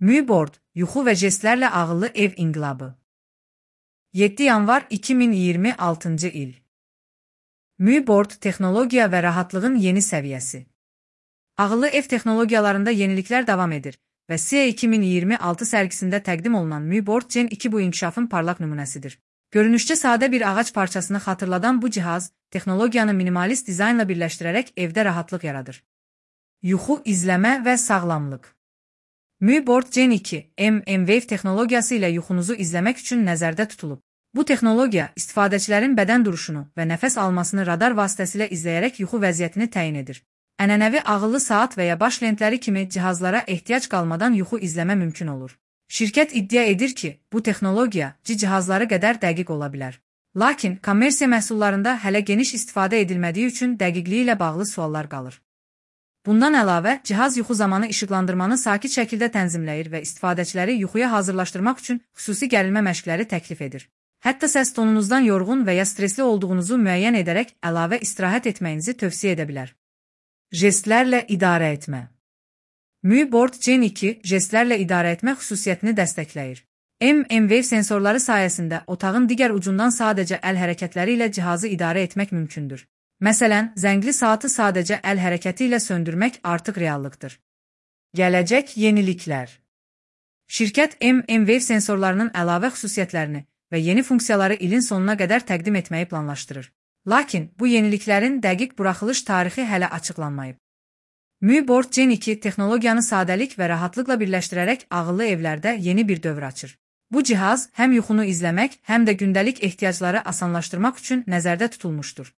MÜBORD, yuxu və jestlərlə ağıllı ev inqilabı. 7 yanvar 2026-cı il. MÜBORD, texnologiya və rahatlığın yeni səviyyəsi. Ağıllı ev texnologiyalarında yeniliklər davam edir və SIA 2026 sərgisində təqdim olunan MÜBORD Gen 2 bu inkişafın parlaq nümunəsidir. Görünüşcə sadə bir ağac parçasını xatırladan bu cihaz, texnologiyanı minimalist dizaynla birləşdirərək evdə rahatlıq yaradır. Yuxu, izləmə və sağlamlıq. MÜBORD Gen 2, M-Wave texnologiyası ilə yuxunuzu izləmək üçün nəzərdə tutulub. Bu texnologiya, istifadəçilərin bədən duruşunu və nəfəs almasını radar vasitəsilə izləyərək yuxu vəziyyətini təyin edir. Ənənəvi ağıllı saat və ya baş lentləri kimi cihazlara ehtiyac qalmadan yuxu izləmə mümkün olur. Şirkət iddia edir ki, bu texnologiya cihazları qədər dəqiq ola bilər. Lakin, kommersiya məhsullarında hələ geniş istifadə edilmədiyi üçün dəqiqliyi ilə bağlı suallar qalır. Bundan əlavə, cihaz yuxu zamanı işıqlandırmanı sakit şəkildə tənzimləyir və istifadəçiləri yuxuya hazırlaşdırmaq üçün xüsusi gərilmə məşqləri təklif edir. Hətta səs tonunuzdan yorğun və ya stresli olduğunuzu müəyyən edərək əlavə istirahət etməyinizi tövsiyə edə bilər. Jestlərlə idarə etmə. MÜBORD Gen 2 jestlərlə idarə etmə xüsusiyyətini dəstəkləyir. M-Wave sensorları sayəsində otağın digər ucundan sadəcə əl hərəkətləri ilə cihazı idarə etmək mümkündür. Məsələn, zəngli saatı sadəcə əl hərəkəti ilə söndürmək artıq reallıqdır. Gələcək yeniliklər. Şirkət M-Wave sensorlarının əlavə xüsusiyyətlərini və yeni funksiyaları ilin sonuna qədər təqdim etməyi planlaşdırır. Lakin, bu yeniliklərin dəqiq buraxılış tarixi hələ açıqlanmayıb. MÜBORD Gen 2 texnologiyanı sadəlik və rahatlıqla birləşdirərək ağıllı evlərdə yeni bir dövr açır. Bu cihaz həm yuxunu izləmək, həm də gündəlik ehtiyacları asanlaşdırmaq üçün nəzərdə tutulmuşdur.